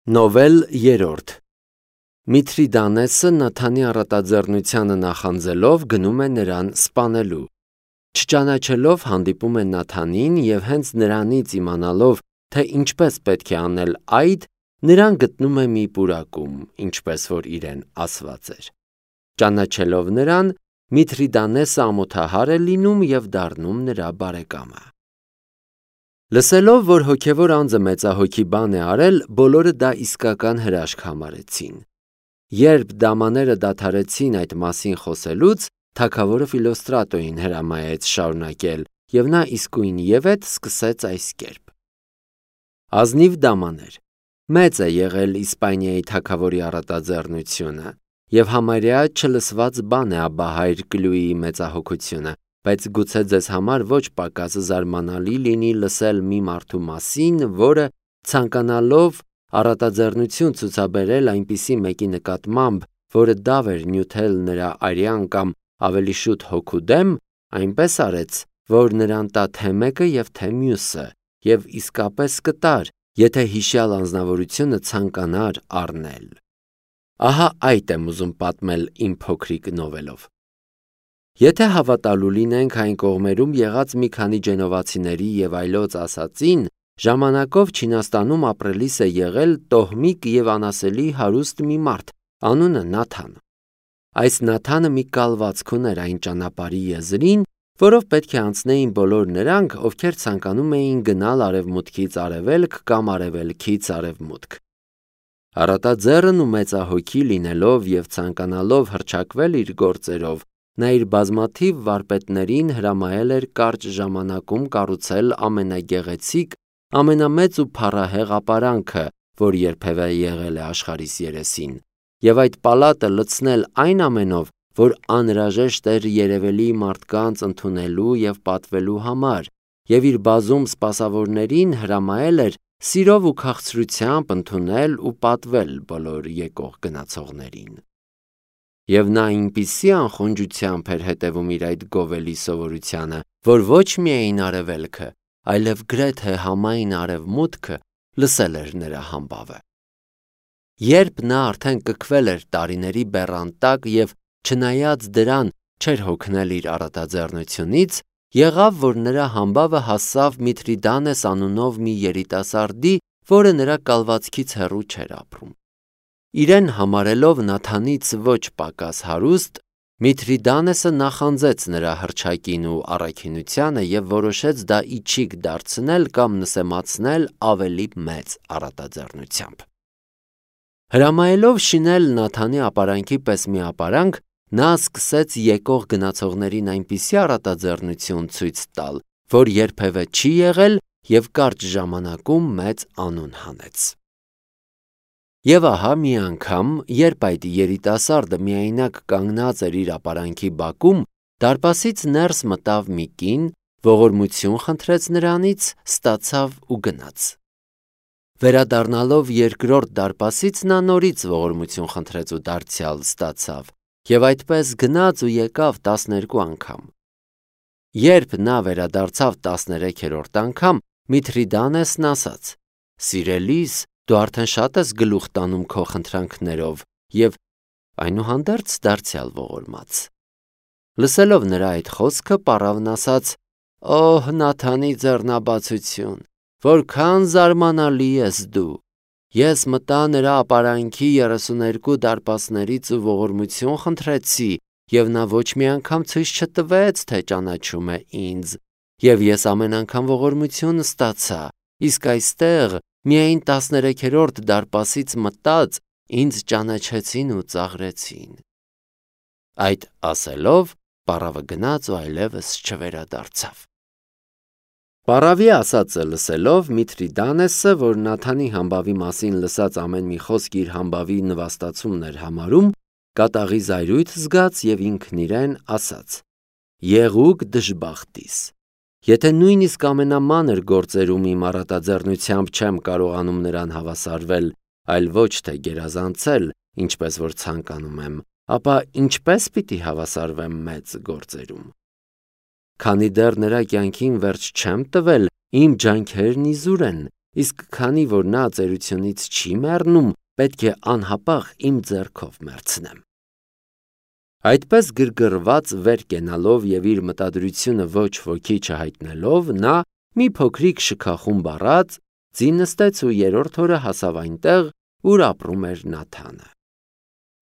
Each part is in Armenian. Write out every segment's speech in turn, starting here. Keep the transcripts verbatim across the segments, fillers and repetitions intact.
Նովել երրորդ Միթրիդանեսը Նաթանի առատաձեռնությանը նախանձելով գնում է նրան սպանելու։ Չճանաչելով հանդիպում է Նաթանին և հենց նրանից իմանալով, թե ինչպես պետք է անել այդ, նրան գտնում է մի պուրակում, ինչպես որ իրեն ասված էր։ Ճանաչելով նրան, Միթրիդանեսը ամոթահար է լինում և դառնում նրա բարեկամը։ Լսելով, որ հոգևոր անձը մեծահոգի բան է արել, բոլորը դա իսկական հրաշք համարեցին։ Երբ դամաները դադարեցին այդ մասին խոսելուց, թագավորը Ֆիլոստրատոյին հրամայեց շարունակել, և նա իսկույնևեթ սկսեց այս կերպ. Ազնիվ դամաներ, մեծ է եղել Իսպանիայի թագավորի առատաձեռնությունը, և համարյա չլսված բան է աբահայր Կլյուիի մեծահոգությունը, բայց գուցե ձեզ համար ոչ պակաս զարմանալի լինի լսել մի մարդու մասին, որը ցանկանալով առատաձեռնություն ցուցաբերել այնպիսի մեկի նկատմամբ, որը դավ էր նյութել նրա արյան կամ ավելի շուտ հոգու դեմ, այնպես արեց, որ նրան տա թե մեկը և թե մյուսը, և իսկապես կտար, եթե հիշյալ անձնավորությունը ցանկանար առնել։ Ահա այդ եմ ուզում պատմել իմ փոքրիկ նովելով։ Եթե հավատալու լինենք այն կողմերում եղած մի քանի ջենովացիների և այլոց ասածին, ժամանակով Չինաստանում ապրելիս է եղել տոհմիկ և անասելի հարուստ մի մարդ, անունը Նաթան։ Այս Նաթանը մի կալվածք ուներ այն ճանապարհի եզրին, որով պետք է անցնեին բոլոր նրանք, ովքեր ցանկանում էին գնալ արևմուտքից արևելք կամ արևելքից արևմուտք։ Առատաձեռն ու մեծահոգի լինելով և ցանկանալով հռչակվել իր գործերով, նա իր բազմաթիվ վարպետներին հրամայել էր կարճ ժամանակում կառուցել ամենագեղեցիկ, ամենամեծ ու փառահեղ ապարանքը, որ երբևէ եղել է աշխարհիս երեսին, և այդ պալատը լցնել այն ամենով, որ անհրաժեշտ էր երևելի մարդկանց ընդունելու և պատվելու համար, և իր բազում սպասավորներին հրամայել էր սիրով ու քաղցրությամբ ընդունել ու պատվել բոլոր եկող գնացողներին։ Եվ նա այնպիսի անխոնջությամբ էր հետևում իր այդ գովելի սովորությանը, որ ոչ միայն արևելքը, այլև գրեթե համայն արևմուտքը լսել էր նրա համբավը։ Երբ նա արդեն կքվել էր տարիների բեռան տակ և չնայած դրան չէր հոգնել իր առատաձեռնությունից, եղավ, որ նրա համբավը հասավ Միթրիդանես անունով մի երիտասարդի, որը նրա կալվածքից հեռու չէր ապրում։ Իրեն համարելով Նաթանից ոչ պակաս հարուստ, Միթրիդանեսը նախանձեց նրա հռչակին ու առաքինությանը և որոշեց դա իչիք դարձնել կամ նսեմացնել ավելի մեծ առատաձեռնությամբ։ Հրամայելով շինել Նաթանի ապարանքի պես մի ապարանք, նա սկսեց եկող գնացողներին այնպիսի առատաձեռնություն ցույց տալ, որ երբևէ չի եղել և կարճ ժամանակում մեծ անուն հանեց։ Եվ ահա մի անգամ, երբ այդ երիտասարդը միայնակ կանգնած էր իր ապարանքի բակում, դարպասից ներս մտավ մի կին, ողորմություն խնդրեց նրանից, ստացավ ու գնաց։ Վերադառնալով երկրորդ դարպասից նա նորից ողորմություն խնդրեց ու դարձյալ ստացավ, և այդպես գնաց ու եկավ տասներկու անգամ։ Երբ նա վերադարձավ տասներեքերորդ անգամ, Միթրիդանեսն ասաց. «Սիրելիս, դու արդեն շատ ես գլուխ տանում քո խնդրանքներով», և այնուհանդերձ դարձյալ ողորմած։ Լսելով նրա այդ խոսքը, պառավն ասաց. «Օհ, Նաթանի ձեռնաբացություն, որքան զարմանալի ես դու։ Ես մտա նրա ապարանքի երեսուներկու դարպասներից ու ողորմություն խնդրեցի, և նա ոչ մի անգամ ցույց չտվեց, թե ճանաչում է ինձ, և ես ամեն անգամ ողորմություն ստացա, իսկ այստեղ միայն տասներեքերորդ դարպասից մտած ինձ ճանաչեցին ու ծաղրեցին»։ Այդ ասելով, պառավը գնաց ու այլևս չվերադարձավ։ Պառավի ասածը լսելով, Միթրիդանեսը, որ Նաթանի համբավի մասին լսած ամեն մի խոսք իր համբավի նվաստացումն էր համարում, կատաղի զայրույթ զգաց և ինքն իրեն ասաց. «Եղուկ դժբախտիս, եթե նույնիսկ ամենամանր գործերում իմ առատաձեռնությամբ չեմ կարողանում նրան հավասարվել, այլ ոչ թե գերազանցել, ինչպես որ ցանկանում եմ, ապա ինչպե՞ս պիտի հավասարվեմ մեծ գործերում։ Քանի դեռ նրա կյանքին վերջ չեմ տվել, իմ ջանքերն իզուր են, իսկ քանի որ նա ծերությունից չի մեռնում, պետք է անհապաղ իմ ձեռքով մեռցնեմ։ Այդպես գրգռված վեր կենալով եւ իր մտադրությունը ոչ ոքի չհայտնելով, նա մի փոքրիկ շքախումբ առած ձին նստեց ու երրորդ օրը հասավ այնտեղ, ուր ապրում էր Նաթանը։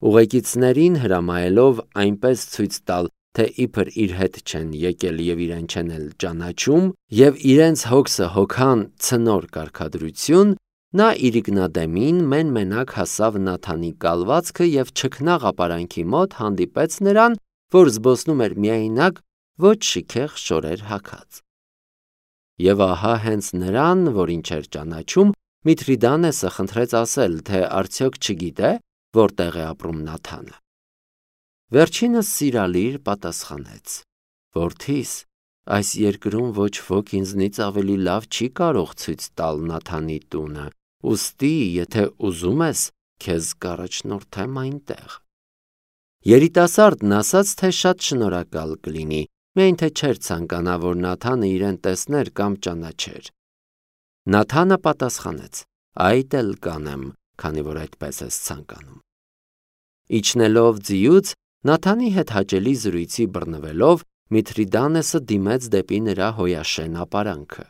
Ուղեկիցներին հրամայելով այնպես ցույց տալ, թե իբր իր հետ չեն եկել եւ իրեն չեն էլ ճանաչում, եւ իրենց հոգսը հոգան ցնոր կարգադրություն, նա իրիկնադեմին մեն-մենակ հասավ Նաթանի կալվածքը եւ չքնաղ ապարանքի մոտ հանդիպեց նրան, որ զբոսնում էր միայնակ, ոչ շիքեղ շորեր հագած։ Եվ ահա հենց նրան, որին չէր ճանաչում, Միթրիդանեսը խնդրեց ասել, թե արդյոք չգիտե, որտեղ է ապրում Նաթանը։ Վերջինս սիրալիր պատասխանեց. Որդիս, այս երկրում ոչ ոք ինձնից ավելի լավ չի կարող ցույց տալ Նաթանի տունը, ուստի, եթե ուզում ես, քեզ կառաջնորդեմ այնտեղ։ Երիտասարդն ասաց, թե շատ շնորհակալ կլինի, միայն թե չէր ցանկանա, որ Նաթանը իրեն տեսներ կամ ճանաչեր։ Նաթանը պատասխանեց. Այդ էլ կանեմ, քանի որ այդպես ես ցանկանում։ Իջնելով ձիուց, Նաթանի հետ հաճելի զրույցի բռնվելով, Միթրիդանեսը դիմեց դեպի նրա հոյաշեն ապարանքը։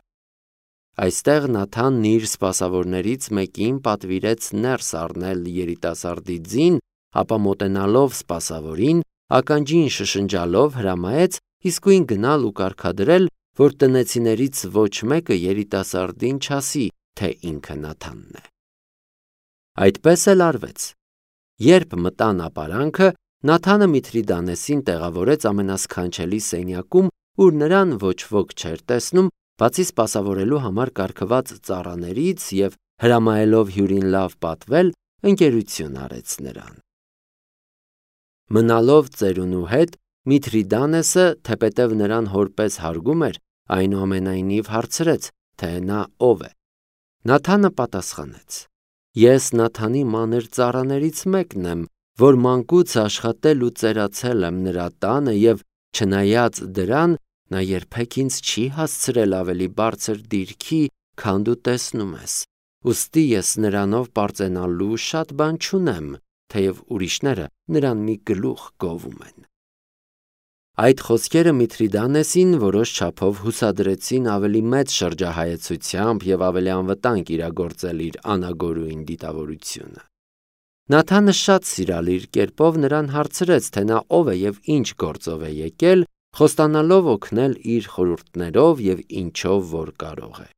Այստեղ Նաթանն իր սպասավորներից մեկին պատվիրեց ներս առնել երիտասարդի ձին, ապա մոտենալով սպասավորին, ականջին շշնջալով հրամայեց իսկույն գնալ ու կարգադրել, որ տնեցիներից ոչ մեկը երիտասարդին չասի, թե ինքը Նաթանն է։ Այդպես էլ արվեց։ Երբ մտան ապարանքը, Նաթանը Միթրիդանեսին տեղավորեց ամենասքանչելի սենյակում, ուր նրան ոչ ոք չէր տեսնում, բացի սպասավորելու համար կարգված ծառաներից եւ հրամայելով հյուրին լավ պատվել, ընկերություն արեց նրան։ Մնալով ծերունու հետ, Միթրիդանեսը, թեպետև նրան հորպես հարգում էր, այնուամենայնիվ հարցրեց, թե նա ով է։ Նաթանը պատասխանեց. Ես Նաթանի մանր ծառաներից մեկն եմ, որ մանկուց աշխատել ու ծերացել եմ նրա տանը եւ չնայած դրան, նա երբեք ինձ չի հասցրել ավելի բարձր դիրքի, քան դու տեսնում ես։ Ուստի ես նրանով պարծենալու շատ բան չունեմ, թեև ուրիշները նրան մի գլուխ գովում են։ Այդ խոսքերը Միթրիդանեսին որոշ չափով հուսադրեցին ավելի մեծ շրջահայեցությամբ եւ ավելի անվտանգ իրագործել իր անագորույն դիտավորությունը։ Նաթանը շատ սիրալիր կերպով նրան հարցրեց, թե նա ով է եւ ինչ գործով է եկել, խոստանալով օգնել իր խորհուրդներով եւ ինչով որ կարող է։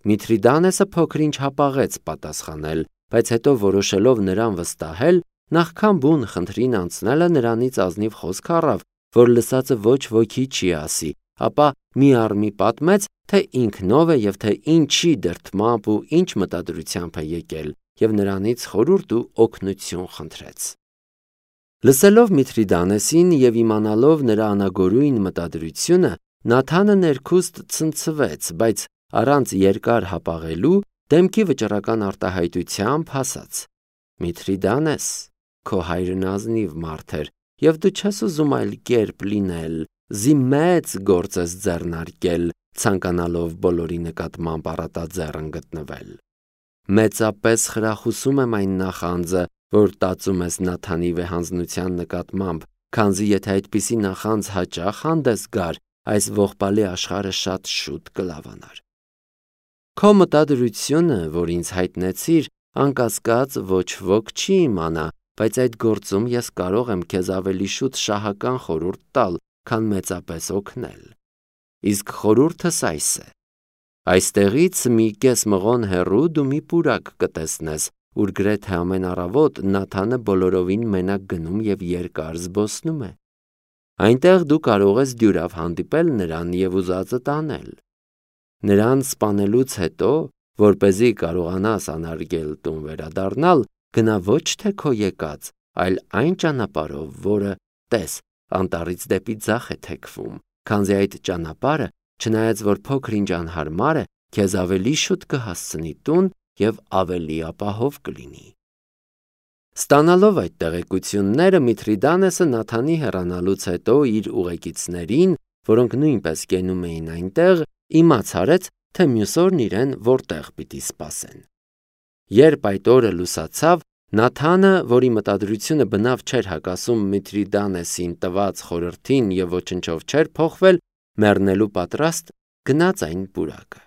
Միթրիդանեսը փոքր-ինչ հապաղեց պատասխանել, բայց հետո որոշելով նրան վստահել, նախքան բուն խնդրին անցնելը նրանից ազնիվ խոսք առավ, որ լսածը ոչ ոքի չի ասի, ապա մի առ մի պատմեց, թե ինքնով է եւ թե ինչի դրդմամբ ու ինչ մտադրությամբ է եկել, եւ նրանից խորհուրդ ու օգնություն խնդրեց։ Լսելով Միթրիդանեսին եւ իմանալով նրա անագորույն մտադրությունը, Նաթանը ներքուստ ցնցվեց, բայց առանց երկար հապաղելու դեմքի վճռական արտահայտությամբ ասաց. Միթրիդանես, քո հայրն ազնիվ մարդ էր, եւ դու չես ուզում այլ կերպ լինել, զի մեծ գործ ես ձեռնարկել, ցանկանալով բոլորի նկատմամբ առատաձեռն գտնվել։ Մեծապես խրախուսում եմ այն նախանձը, որ տածում ես Նաթանի վեհանձնության նկատմամբ, քանզի եթե այդպիսի նախանձ հաճախ հանդես գար, այս ողբալի աշխարհը շատ շուտ կլավանար։ Քո մտադրությունը, որ ինձ հայտնեցիր, անկասկած ոչ ոք չի իմանա, բայց այդ գործում ես կարող եմ քեզ ավելի շուտ շահական խորհուրդ տալ, քան մեծապես օգնել։ Իսկ խորհուրդս այս է. այստեղից մի կես մղոն հեռու դու մի պուրակ կտեսնես, ուր գրեթե ամեն առավոտ Նաթանը բոլորովին մենակ գնում եւ երկար զբոսնում է։ Այնտեղ դու կարող ես դյուրավ հանդիպել նրան եւ ուզածդ անել։ Նրան սպանելուց հետո, որպեսզի կարողանաս անարգել տուն վերադառնալ, գնա ոչ թե քո եկած, այլ այն ճանապարհով, որը տես, անտառից դեպի ձախ է թեքվում, քանզի այդ ճանապարհը, չնայած որ փոքր-ինչ անհարմար է, քեզ ավելի շուտ կհասցնի տուն եւ ավելի ապահով կլինի։ Ստանալով այդ տեղեկությունները, Միթրիդանեսը Նաթանի հեռանալուց հետո իր ուղեկիցներին, որոնք նույնպես կենում էին այնտեղ, իմաց արեց, թե մյուս օրն իրեն որտեղ պիտի սպասեն։ Երբ այդ օրը լուսացավ, Նաթանը, որի մտադրությունը բնավ չէր հակասում Միթրիդանեսին տված խորհրդին եւ ոչնչով չէր փոխվել, մեռնելու պատրաստ գնաց այն պուրակը։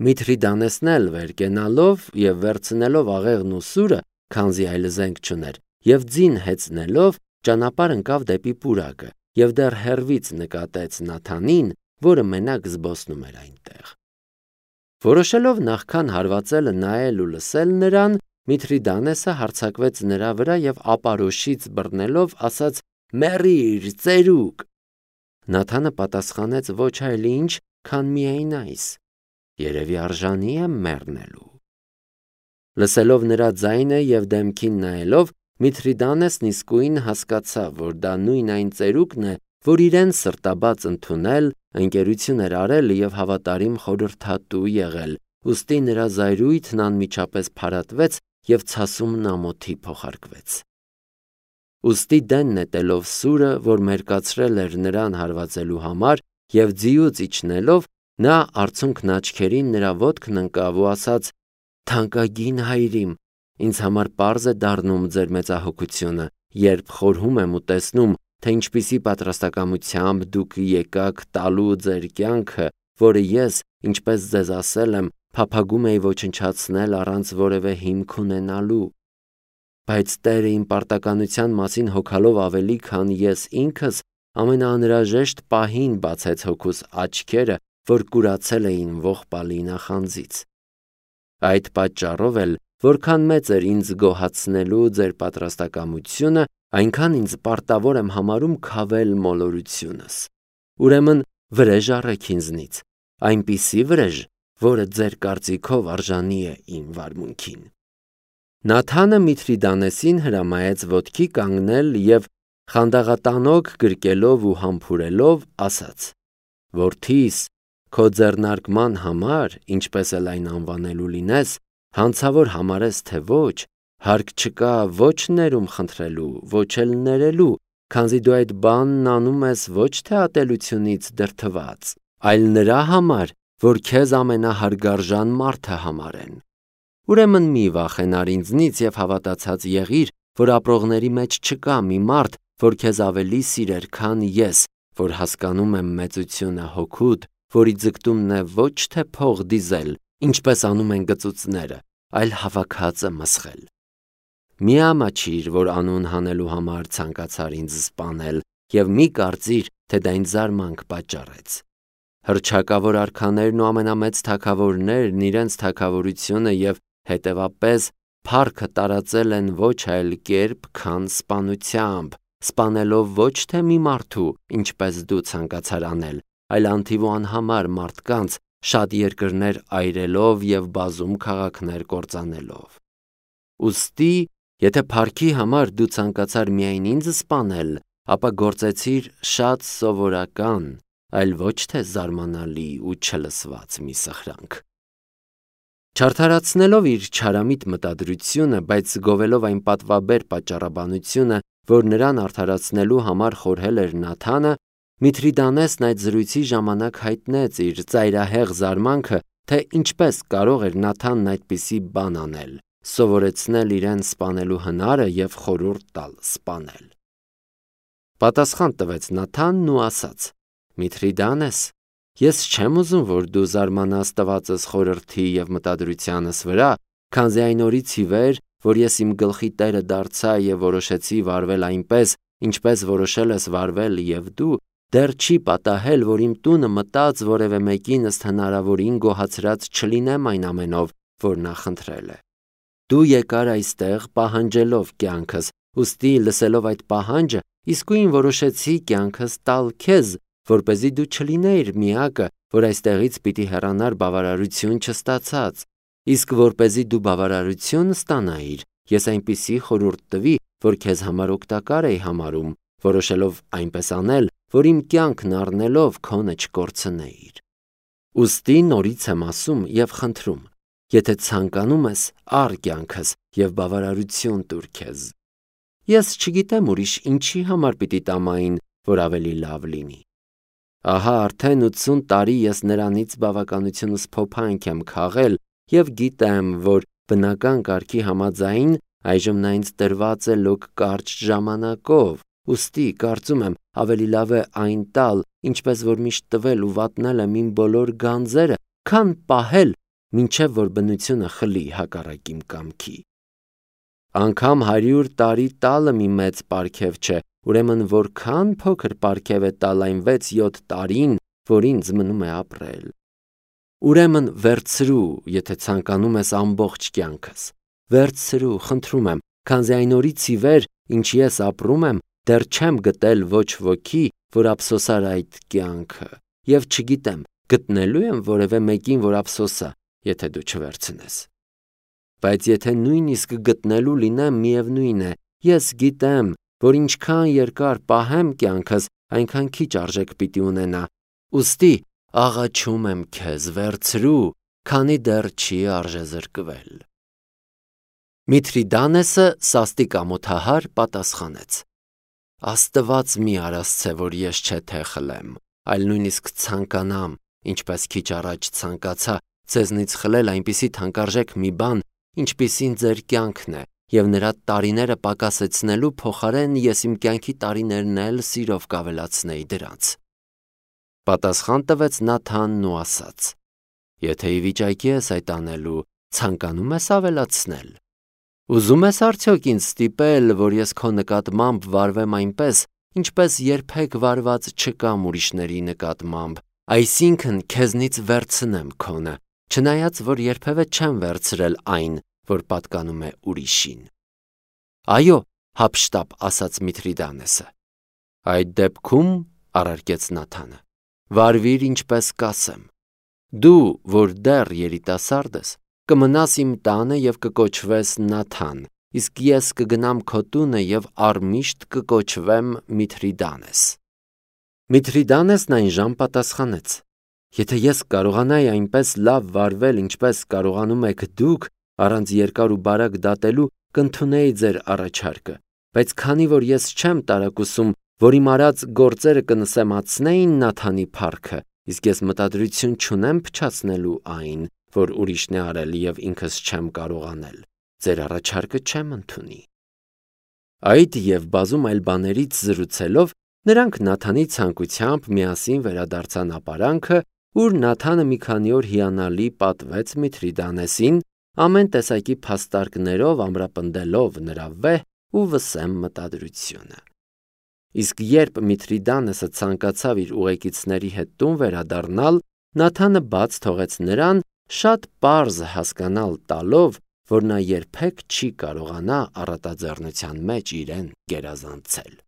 Միթրիդանեսն էլ վեր կենալով եւ վերցնելով աղեղն ու սուրը, քանզի այլ զենք չուներ, եւ ձին հեծնելով ճանապարհ ընկավ դեպի պուրակը եւ դեռ հեռվից նկատեց Նաթանին, որը մենակ զբոսնում էր այնտեղ։ Որոշելով նախքան հարվածելը նայել ու լսել նրան, Միթրիդանեսը հարձակվեց նրա վրա եւ ապարոշից բռնելով ասաց. «Մեռիր, ծերուկ»։ Նաթանը պատասխանեց. «Ոչ այլ ինչ, քան միայն այս. երևի արժանի եմ մեռնելու»։ Լսելով նրա ձայնը եւ դեմքին նայելով, Միթրիդանեսն իսկույն հասկացավ, որ դա նույն այն ծերուկն է, որ իրեն սրտաբաց ընդունել, ընկերություն էր արել եւ հավատարիմ խորհրդատու եղել, ուստի նրա զայրույթն անմիջապես փարատվեց եւ ցասումն ամոթի փոխարկվեց։ Ուստի դեն նետելով սուրը, որ մերկացրել էր նրան հարվածելու համար, եւ ձիուց իջնելով, նա արցունքն աչքերին նրա ոտքն ընկավ ու ասաց. «Թանկագին հայրիմ, ինձ համար պարզ է դառնում ձեր մեծահոգությունը, երբ խորհում եմ ու տեսնում, թե ինչպիսի պատրաստակամությամբ դուք եկաք տալու ձեր կյանքը, որը ես, ինչպես ձեզ ասել եմ, փափագում էի ոչնչացնել առանց որևէ հիմք ունենալու։ Բայց Տերը իմ պարտականության մասին հոգալով ավելի, քան ես ինքս, ամենաանհրաժեշտ պահին բացեց հոգուս աչքերը, որ կուրացել էին ողբալի նախանձից։ Այդ պատճառով էլ, որքան մեծ էր ինձ գոհացնելու ձեր պատրաստակամությունը, այնքան ինձ պարտավոր եմ համարում քավել մոլորությունս։ Ուրեմն վրեժ առեք ինձնից, այնպիսի վրեժ, որը ձեր կարծիքով արժանի է իմ վարմունքին։ Նաթանը Միթրիդանեսին հրամայեց ոտքի կանգնել եւ խանդաղատանոք գրկելով ու համբուրելով ասաց. «Որդիս, քո ձեռնարկման համար, ինչպես էլ այն անվանելու լինես, հանցավոր համարես թե ոչ, հարկ չկա ոչ ներում խնդրելու, ոչ էլ ներելու, քանզի դու այդ բանն անում ես ոչ թե ատելությունից դրդված, այլ նրա համար, որ քեզ ամենահարգարժան մարդը համարեն։ Ուրեմն մի վախենար ինձնից եւ հավատացած եղիր, որ ապրողների մեջ չկա մի մարդ, որ քեզ ավելի սիրեր, քան ես, որ հասկանում եմ մեծությունը հոգուդ, որի ձգտումն է ոչ թե փող դիզել, ինչպես անում են գծուծները, այլ հավաքածը մսխել։ Մի ամաչիր, որ անուն հանելու համար ցանկացար ինձ սպանել, եւ մի կարծիր, թե դա ինձ զարմանք պատճառեց։ Հռչակավոր արքաներն ու ամենամեծ թագավորներն իրենց թագավորությունը եւ հետևապես փառքը տարածել են ոչ այլ կերպ, քան սպանությամբ, սպանելով ոչ թե մի մարդու, ինչպես դու ցանկացար անել, այլ անթիվ ու անհամար մարդկանց, շատ երկրներ այրելով եւ բազում քաղաքներ կործանելով։ Ուստի, եթե փառքի համար դու ցանկացար միայն ինձ սպանել, ապա գործեցիր շատ սովորական, այլ ոչ թե զարմանալի ու չլսված մի սխրանք։ Չարդարացնելով իր չարամիտ մտադրությունը, բայց գովելով այն պատվաբեր պատճառաբանությունը, որ նրան արդարացնելու համար խորհել էր Նաթանը, Միթրիդանեսն այդ զրույցի ժամանակ հայտնեց իր ծայրահեղ զարմանքը, թե ինչպես կարող էր Նաթանն այդպիսի բան անել, սովորեցնել իրեն սպանելու հնարը եւ խորհուրդ տալ սպանել։ Պատասխան տվեց Նաթանն ու ասաց. Միթրիդանես, ես չեմ ուզում, որ դու զարմանաս տվածս խորհրդի եւ մտադրությանս վրա, քանզի այն օրից ի վեր, որ ես իմ գլխի տերը դարձա եւ որոշեցի վարվել այնպես, ինչպես որոշել ես վարվել եւ դու, դեռ չի պատահել, որ իմ տունը մտած որևէ մեկին ըստ հնարավորին գոհացրած չլինեմ այն ամենով, որ նա խնդրել է։ Դու եկար այստեղ պահանջելով կյանքս, ուստի լսելով այդ պահանջը, իսկույն որոշեցի կյանքս տալ քեզ, որպեսզի դու չլինեիր միակը, որ այստեղից պիտի հեռանար բավարարություն չստացած, իսկ որպեսզի դու բավարարություն ստանայիր, ես այնպիսի խորհուրդ տվի, որ քեզ համար օգտակար էի համարում, որոշելով այնպես անել, որ իմ կյանքն առնելով քոնը չկորցնեիր։ Ուստի նորից եմ ասում եւ խնդրում, եթե ցանկանում ես, առ կյանքս եւ բավարարություն տուր քեզ։ Ես չգիտեմ ուրիշ ինչի համար պիտի տամ այն, որ ավելի լավ լինի։ Ահա արդեն ութսուն տարի ես նրանից բավականությունս փոփանք եմ քաղել և գիտեմ, որ բնական կարգի համաձայն այժմ նա ինձ տրված է լոկ կարճ ժամանակով, ուստի կարծում եմ ավելի լավ է այն տալ, ինչպես որ միշտ տվել ու վատնել եմ իմ բոլոր գանձերը, քան պահել, մինչև որ բնությունը խլի հակառակ իմ կամքի։ Անգամ հարյուր տարի տալը մի մեծ պարգև չէ, ուրեմն որքան փոքր պարգև է տալ այն վեց-յոթ տարին, որ ինձ մնում է ապրել։ Ուրեմն վերցրու, եթե ցանկանում ես ամբողջ կյանքս, վերցրու, խնդրում եմ, քանզի այն օրից ի վեր, ինչ ես ապրում եմ, դեռ չեմ գտել ոչ ոքի, որ ափսոսար այդ կյանքը, և չգիտեմ, գտնելու եմ որևէ մեկին, որ ափսոսա, եթե դու չվերցնես։ Բայց եթե նույնիսկ գտնելու լինեմ, միևնույն է, ես գիտեմ, որ ինչքան երկար պահեմ կյանքս, այնքան քիչ արժեք պիտի ունենա, ուստի աղաչում եմ քեզ, վերցրու, քանի դեռ չի արժեզրկվել։ Միթրիդանեսը սաստիկ ամոթահար պատասխանեց. Աստված մի արասցե, որ ես չէ թե խլեմ, այլ նույնիսկ ցանկանամ, ինչպես քիչ առաջ ցանկացա ձեզնից խլել այնպիսի թանկարժեք մի բան, ինչպիսին ձեր կյանքն է, և նրա տարիները պակասեցնելու փոխարեն ես իմ կյանքի տարիներն էլ սիրով կավելացնեի դրանց։ Պատասխան տվեց Նաթանն ու ասաց. Եթե ի վիճակի ես այդ անելու, ցանկանում ես ավելացնել։ Ուզում ես արդյոք ինձ ստիպել, որ ես քո նկատմամբ վարվեմ այնպես, ինչպես երբեք վարված չկամ ուրիշների նկատմամբ, այսինքն քեզնից վերցնեմ քոնը, չնայած որ երբևէ չեմ վերցրել այն, որ պատկանում է ուրիշին։ Այո, հափշտապ ասաց Միթրիդանեսը։ Այդ դեպքում, առարկեց Նաթանը, վարվիր ինչպես կասեմ։ Դու, որ դեռ երիտասարդ ես, կմնաս իմ տանը և կկոչվես Նաթան, իսկ ես կգնամ քո տունը և առմիշտ կկոչվեմ Միթրիդանես։ Միթրիդանեսն այնժամ պատասխանեց. Եթե ես կարողանայի այնպես լավ վարվել, ինչպես կարողանում եք դուք, առանց երկար ու բարակ դատելու, կընդունեի ձեր առաջարկը, բայց քանի որ ես չեմ տարակուսում, որ իմ արած գործերը կնսեմացնեին Նաթանի փառքը, իսկ ես մտադրություն չունեմ փչացնելու այն, որ ուրիշն է արել և ինքս չեմ կարող անել, ձեր առաջարկը չեմ ընդունի։ Այդ և բազում այլ բաներից զրուցելով, նրանք Նաթանի ցանկությամբ միասին վերադարձան ապարանքը, ուր Նաթանը մի քանի օր հիանալի պատվեց Միթրիդանեսին, ամեն տեսակի փաստարկներով ամրապնդելով նրա վեհ ու վսեմ մտադրությունը։ Իսկ երբ Միթրիդանեսը ցանկացավ իր ուղեկիցների հետ տուն վերադառնալ, Նաթանը բաց թողեց նրան, շատ պարզ հասկանալ տալով, որ նա երբեք չի կարողանա առատաձեռնության մեջ իրեն գերազանցել։